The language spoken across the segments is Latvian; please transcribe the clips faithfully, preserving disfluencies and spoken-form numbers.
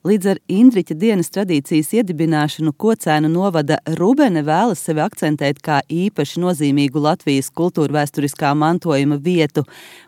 Līdz ar Indriķa dienas tradīcijas iedibināšanu Kocēnu novada Rubene vēlas sevi akcentēt kā īpaši nozīmīgu Latvijas kultūrvēsturiskā mantojuma vietu,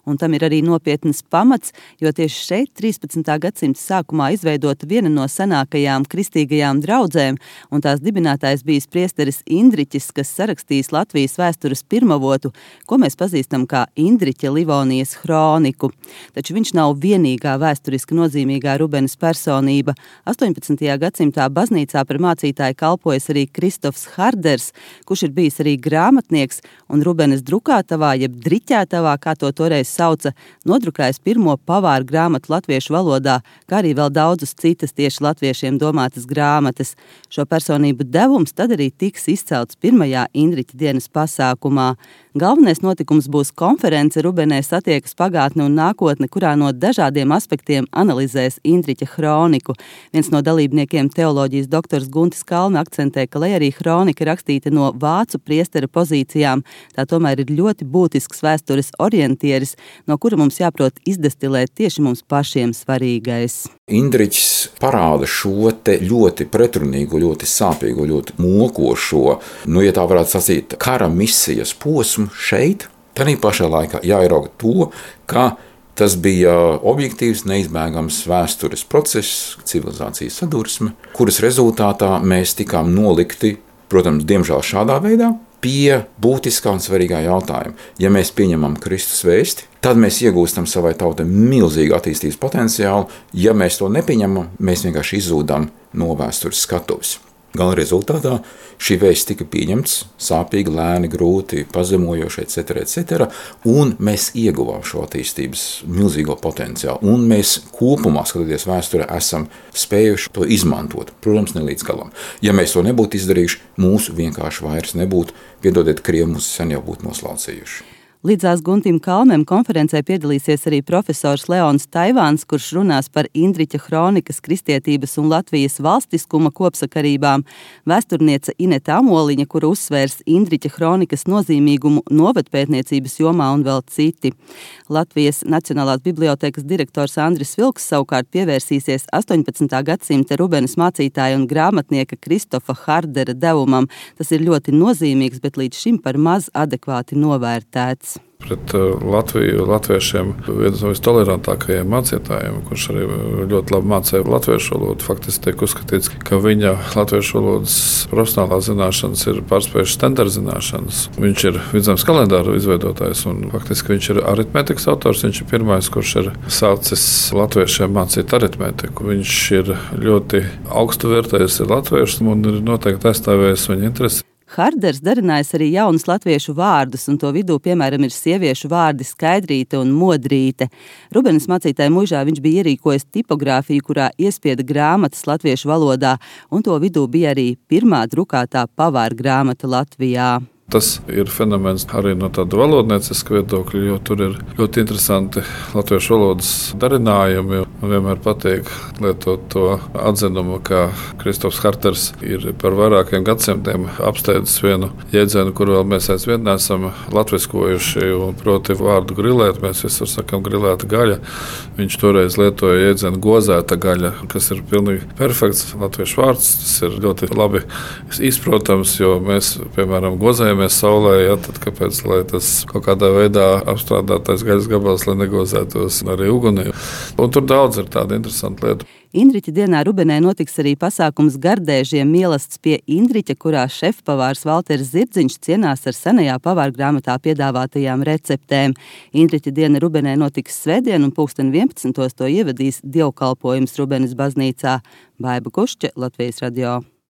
un tam ir arī nopietnas pamats, jo tieši šeit trīspadsmitā gadsimta sākumā izveidota viena no senākajām kristīgajām draudzēm, un tās dibinātājs bijis priesteris Indriķis, kas sarakstījis Latvijas vēstures pirmavotu, ko mēs pazīstam kā Indriķa Livonijas hroniku. Taču viņš nav vienīgā vēsturiski nozīmīgā Rubenes personība. astoņpadsmitajā gadsimtā baznīcā par mācītāju kalpojas arī Kristofs Harders, kurš ir bijis arī grāmatnieks, un Rubenes drukātavā, jeb driķētavā, kā to toreiz sauca, nodrukājis pirmo pavāru grāmatu latviešu valodā, kā arī vēl daudzas citas tieši latviešiem domātas grāmatas. Šo personību devums tad arī tiks izcelts pirmajā Indriķa dienas pasākumā. Galvenais notikums būs konference Rubenē satiekas pagātne un nākotne, kurā no dažādiem aspektiem analizēs Indriķa hroniku. Viens no dalībniekiem, teoloģijas doktors Guntis Kalme, akcentē, ka, lai arī hronika rakstīta no vācu priestera pozīcijām, tā tomēr ir ļoti būtisks vēstures orientieris, no kura mums jāprot izdestilēt tieši mums pašiem svarīgais. Indriķis parāda šo te ļoti pretrunīgo, ļoti sāpīgo, ļoti mokošo, nu, ja tā varētu sacīt, kara misijas posmu šeit. Tādā pašā laikā jāierauga to, ka tas bija objektīvs, neizbēgams vēstures process, civilizācijas sadursme, kuras rezultātā mēs tikām nolikti, protams, diemžēl šādā veidā, pie būtiskā un svarīgā jautājuma. Ja mēs pieņemam Kristus vēsti, tad mēs iegūstam savai tautai milzīgu attīstības potenciālu. Ja mēs to nepieņemam, mēs vienkārši izzūdam no vēstures skatuves. Gala rezultātā šī vēsts tika pieņemts sāpīgi, lēni, grūti, pazemojoši, et cetera, et cetera, un mēs ieguvām šo attīstības milzīgo potenciālu. Un mēs kopumā, skatoties vēsturē, esam spējuši to izmantot. Protams, ne līdz galam. Ja mēs to nebūtu izdarījuši, mūsu vienkārši vairs nebūtu, piedodiet, Krievi mūs sen jau būtu noslaucījuši. Līdzās Guntim Kalmem konferencē piedalīsies arī profesors Leons Taivāns, kurš runās par Indriķa hronikas, kristietības un Latvijas valstiskuma kopsakarībām, vēsturniece Ineta Amoliņa, kura uzsvērs Indriķa hronikas nozīmīgumu novatpētniecības jomā un vēl citi. Latvijas Nacionālās bibliotēkas direktors Andris Vilks savukārt pievērsīsies astoņpadsmitā gadsimta Rubenes mācītāja un grāmatnieka Kristofa Hardera devumam. Tas ir ļoti nozīmīgs, bet līdz šim par maz adekvāti novērtēts. Pret Latviju, latviešiem viens no vistolerantākajiem mācītājiem, kurš arī ļoti labi mācīja latviešu valodu. Faktiski tiek uzskatīts, ka viņa latviešu valodas profesionālā zināšanas ir pārspējušas standarta zināšanas. Viņš ir vidzemes kalendāru izveidotājs un faktiski viņš ir aritmētikas autors. Viņš ir pirmais, kurš ir sācis latviešiem mācīt aritmētiku. Viņš ir ļoti augstu vērtējis latviešus un ir noteikti aizstāvējis viņa interesi. Harders darinājis arī jaunus latviešu vārdus, un to vidū, piemēram, ir sieviešu vārdi Skaidrīte un Modrīte. Rubenes mācītāja muižā viņš bija ierīkojis tipogrāfiju, kurā iespieda grāmatas latviešu valodā, un to vidū bija arī pirmā drukātā pavāra grāmata Latvijā. Tas ir fenomens arī no tāda valodnieciska viedokļa, jo tur ir ļoti interesanti latviešu valodas darinājumi. Man vienmēr patīk lietot to atzinumu, ka Kristofs Harders ir par vairākiem gadsimtiem apsteidzis vienu jēdzienu, kuru vēl mēs aizvien neesam latviskojuši, un proti vārdu grilēt. Mēs visur sakam grilēta gaļa. Viņš toreiz lietoja jēdzienu gozēta gaļa, kas ir pilnīgi perfekts latviešu vārds. Tas ir ļoti labi izprotams, jo mēs, piemēram, gozējam mēs saulē, ja, tad kāpēc, lai tas kaut kādā veidā apstrādātais gaļas gabals, lai negozētos arī ugunī. Un tur daudz ir tāda interesanta lieta. Indriķa dienā Rubenē notiks arī pasākums Gardēžiem mielasts pie Indriķa, kurā šefpavārs Valters Zirdziņš cienās ar senajā pavāra grāmatā piedāvātajām receptēm. Indriķa diena Rubenē notiks svētdien un pulksten vienpadsmitos to ievadīs dievkalpojums Rubenes baznīcā. Baiba Kušķe, Latvijas radio.